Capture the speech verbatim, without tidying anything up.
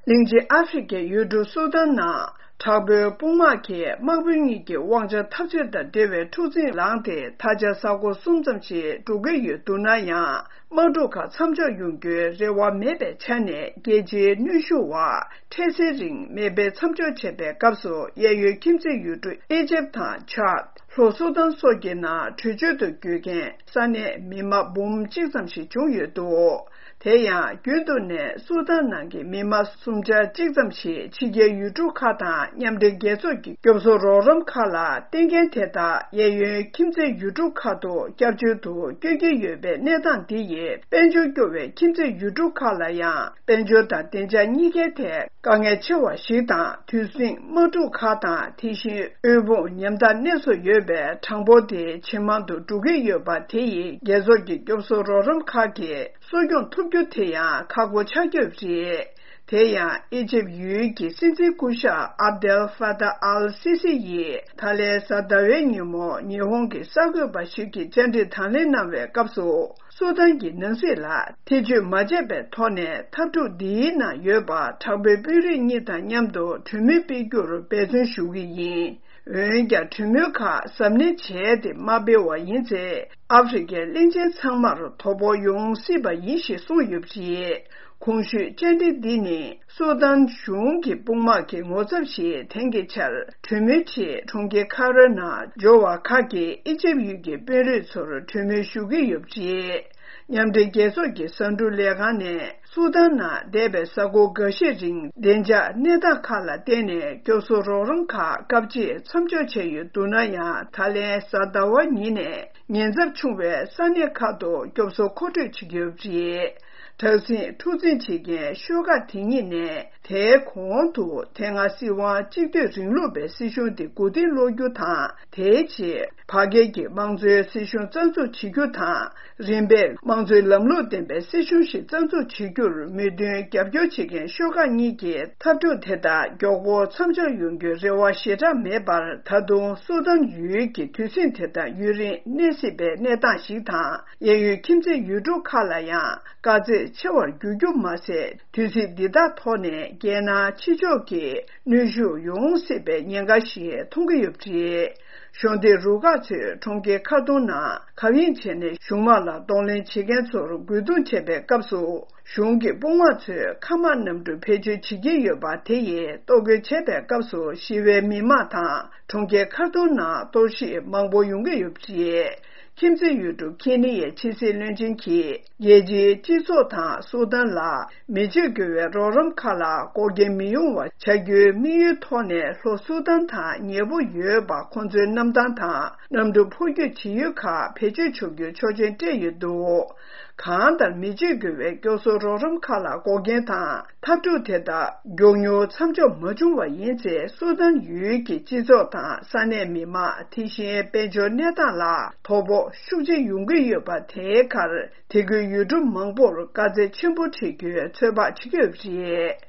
གླིང་ཆེན་ཨ་ཧྥེ་རི་ཁའི་ཡུལ་གྲུ་སུ་དཱན་ནང་དྲག་པོའི་དཔུང་དམག་གིས་དམག་དཔོན་གཉིས་ཀྱི་དབང་ཆ་འཐབ་རྩོད་དང་འབྲེལ་བའི་འཁྲུག་འཛིང་ལངས་ཏེ། ད་ཆ་ས་ཁོངས་གསུམ་ཙམ་ཞིག་འགྲོ་གི་ཡོད་འདུག་ན་ཡང་། དམག་འཁྲུག་ཁག་མཚམས་འཇོག་ཡོང་རྒྱུའི་རེ་བ་མེད་པའི་ཆ་ནས། རྒྱལ་སྤྱིའི་གནོན་ཤུགས་འོག་འཕྲལ་སེལ་རིང་མེ་འཕེན་མཚམས་འཇོག་བྱས་པའི་སྐབས་སུ། གཡས་གཡོན་ཁྱིམ་མཚེས་ཡུལ་གྲུ་ཨི་ཇིབ་དང་ཆཱད། ལྷོ་སུ་དཱན་སོགས་ཀྱི་ནང་བྲོས་བྱོལ་དུ་བསྐྱོད་མཁན་ས་གནས་མི་མང་འབུམ་གཅིག་ཙམ་ཞིག་བྱུང་ཡོད་འདུག་དེ་ཡང་རྒྱུན་དུ་ནས་སུ་དཱན་ནང་གི་མི་མང་སུམ་ཆ་གཅིག་ཙམ་ཞིག་ཕྱི་རྒྱལ་ཡུལ་གྲུ་ཁག་དང་མཉམ་འབྲེལ་རྒྱལ་ཚོགས་ཀྱི་སྐྱོབ་གསོ་རོགས་རམ་ཁག་ལ་བསྟེན་མཁན་དེ་དག་གཡས་གཡོན་ཁྱིམ་མཚེས་ཡུལ་གྲུ་ཁག་ཏུ་བསྐྱར་བྱོལ་དུ་བསྐྱོད་ཀྱི་ཡོད་པའི་གནས་སྟངས་འདི་ཡིས། དཔལ་འབྱོར་སྐྱོ་བའི་ཁྱིམ་མཚེས་ཡུལ་གྲུ་ཁག་ལ་ཡང་། དཔལ་འབྱོར་དང་བདེ་འཇགས་གཉིས་ཀའི་ཐད་དཀའ་ངལ་ཆེ་བ་ཞིག་དང་། དུས་ཟིང་དམག་འཁྲུག་ཁག་དང་། དེ་བཞིན་དབུལ་ཕོངས་ཉམ་ཐག་གནས་སུ་ཡོད་པའི་གྲངས་འབོར་དེ་ཇེ་མང་དུ་འགྲོ་གི་ཡོད་པ་དེ་ཡིས། རྒྱལ་ཚོགས་ཀྱི་སྐྱོབ་གསོ་རོགས་རམ་ཁག་གིས་གསོ་སྐྱོང་ཐུབ་རྒྱུ་དེ་ཡང་ཁག་པོ་ཆགས་ཀྱི་ཡོད་པ་རེད། དེ་ཡང་ཨི་ཇིབ་ཡུལ་གྱི་སྲིད་འཛིན་སྐུ་ཞབས་ཨབ་དེལ་ཧྥ་ཏཱ་ཨལ་སི་སི་ཡིས་ད་ལན་གཟའ་ཟླ་བའི་ཉིན་མོ་ཉི་ཧོང་གི་གསར་འགོད་པ་ཞིག་གིས་བཅར་འདྲི་དང་ལེན་གནང་བའི་སྐབས་སུ། སུ་དཱན་གྱི་ནང་སྲིད་ལ་ཐེ་བྱུས་མ་བྱས་པའི་ཐོག་ནས། འཐབ་འཁྲུག་འདིའི་ནང་ཡོད་པ་དྲག་པོའི་དཔོན་རིགས་གཉིས་དང་མཉམ་དུ་གྲོས་མོལ་སྤེལ་རྒྱུར་འབད་བརྩོན་ཞུ་གི་ཡིན། འོན་ཀྱང་། གྲོས་མོལ་ཁག་གཟབ་ནན་བྱས་ཏེ་མ་སྤེལ་བ་ཡིན་ཚེ། ཨ་ཧྥེ་རི་ཁའི་གླིང་ཆེན་ཚང་མར་དོ་ཕོག་ཡོང་སྲིད་པ་ཡིན་ཞེས་གསུངས་ཡོད་པ་རེད། གོང་ཞུས་བཅར་འདྲི་འདི་ནི། སུ་དཱན་གཞུང་གི་དཔུང་དམག་གི་ངོ་ཚབ་ཞིག་དེང་གི་ཆར་གྲོས་མོལ་ཆེད་གྲོང་ཁྱེར་ཁ་རོའི་ནང་འབྱོར་བ་ཁག་གིས་ཨི་ཇིབ་ཡུལ་གྱི་དཔོན་རིགས་ཚོར་གྲོས་མོལ་ཞུ་གི་ཡོད་པ་རེད། མཉམ་འབྲེལ་རྒྱལ་ཚོགས་ཀྱི་གསར་འགྱུར་ལས་ཁང་ནས། སུ་དཱན་ནང་འདས་པའི་གཟའ་འཁོར་འགའ་ཤས་རིང་བདེ་འཇགས་གནས་སྟངས་ཁག་ལ་བརྟེན་ནས། སྐྱོབ་གསོ་རོགས་རམ་ཁག་སྐབས་གཅིག་མཚམས་འཇོག་བྱས་ཡོད་འདུག་ན་ཡང་། ད་ལན་གཟའ་ཟླ་བ་ཉིན་ནས། ཉེན་ཚབས་ཆུང་བའི་ས་གནས་ཁག་ཏུ་སྐྱོབ་གསོ་མཁོ་སྤྲོད་བྱེད་ཀྱི་ཡོད་པ་རེད། དྲག་ཟིང་འཁྲུག་འཛིང་བྱེད་མཁན་ཤོག་ཁག་དེ་གཉིས་ནས། དེའི་གོང་དུ་དེ་སྔ་སྲིད་དབང་གཅིག་སྡུད་རིང་ལུགས་པའི་སྲིད་གཞུང་དེ་མགོ་རྟིང་སློག་རྒྱུ་དང་། དེའི་རྗེས་བར་བརྒལ་གྱི་དམངས་གཙོའི་སྲིད་གཞུང་རྩ་འཛུགས་བྱེད་རྒྱུ་དང་། རིམ་པས་དམངས་གཙོའི་ལམ་ལུགས་ལྡན་པའི་སྲིད་གཞུང་ཞིག་རྩ་འཛུགས་བྱེད་རྒྱུར་མོས་མཐུན་རྒྱབ་སྐྱོར་བྱེད་མཁན་ཤོག་ཁག་གཉིས་ཀྱིས། འཐབ་འཁྲུག་དེ་དག་མགྱོགས་པོ་མཚམས་འཇོག་ཡོང་རྒྱུའི་རེ་བ་ཞེ་དྲག་མེད་པར། ད་དུང་སུ་དཱན་ཡུལ་གྱི་དུས་ཟིང་དེ་དག་ཡུན་རིང་གནས་སྲིད་པའི་གནས་སྟངས་ཤིག་དང་། གཡས་གཡོན་ཁྱིམ་མཚེས་ཡུལ་གྲུ་ཁག་ལ་ཡང་དཀའ་ཚེགས་ཆེ་བར་འགྱུར་རྒྱུ་མ་ཟད། དུས་ཚིགས་འདི་དག་ཐོག་ནས་རྒྱལ་ནང་ཕྱི་ཕྱོགས་ཀྱི་གནོན་ཤུགས་ཡོང་སྲིད་པའི་ཉེན་ཁ་ཞིག་མཐོང་གི་ཡོད་པ་རེད། གཞོན་སྡེ་རུ་ཁག་ཚོས་གྲོང་ཁྱེར་ཁ་ཏུང་ནང་གབ་ཡིབ་བྱས་ནས་གཞུང་དམག་ལ་གདོང་ལེན་བྱེད་མཁན་ཚོར་རྒོལ་རྡུང་བྱས་པའི་སྐབས་སུ། གཞུང་གི་དཔུང་དམག་ཚོས་མཁའ་དམག་གནམ་གྲུ་བེད་སྤྱོད་བྱེད་ཀྱི་ཡོད་པ་དེ་ཡིས་གཏོར་རྒོལ་བྱས་པའི་སྐབས་སུ། ཞི་བའི་མི་མང་དང་གྲོང་ཁྱེར་ཁ་ཏུང་ནང་གཏོར་བཤིག་མང་པོ་ཡོང་གི་ཡོད་པ་རེད། ཁྱིམ་མཚེས་ཡུལ་གྲུ་ཁེ་ནི་ཡའི་ཕྱི་སྲིད་བློན་ཆེན་གྱིས། རྒྱལ་སྤྱིའི་སྤྱི་ཚོགས་དང་སུ་དཱན་ལ་མི་སྤྱོད་དགོས་པའི་རོགས་རམ་ཁག་ལ་འགོག་རྐྱེན་མི་ཡོང་བ་བྱ་རྒྱུའི་དམིགས་ཡུལ་ཐོག་ནས། ལྷོ་སུ་དཱན་དང་ཉེ་པོ་ཡོད་པ་ཁོང་ཚོའི་གནམ་ཐང་དང་། གནམ་གྲུ་འཕུར་སྐྱོད་བྱེད་ཡུལ་ཁག་བེད་སྤྱོད་ཆོག་རྒྱུའི་ཆོག་མཆན་སྤྲད་ཡོད་འདུག་གང་ལྟར། མི་སྤྱོད་དགོས་པའི་སྐྱོབ་གསོ་རོགས་རམ་ཁག་ལ་འགོག་རྐྱེན་དང་། འཐབ་འཁྲུག་དེ་དག་མགྱོགས་མྱུར་མཚམས་འཇོག་མ་བྱུང་བ་ཡིན་ཚེ། སུ་དཱན་ཡུལ་གྱི་སྤྱི་ཚོགས་དང་ས་གནས་མི་མང་། དེ་བཞིན་དཔལ་འབྱོར་གནས་སྟངས་ལ་དོ་ཕོག་ཤུགས་ཆེ་ཡོང་གི་ཡོད་པ། དེའི་ཁར་དེ་ཁུལ་ཡུལ་གྲུ་མང་པོར་དཀའ་ཚེགས་ཆེན་པོ་འཕྲད་རྒྱུའི་ཚོད་དཔག་བྱེད་ཀྱི་ཡོད་པ་རེད།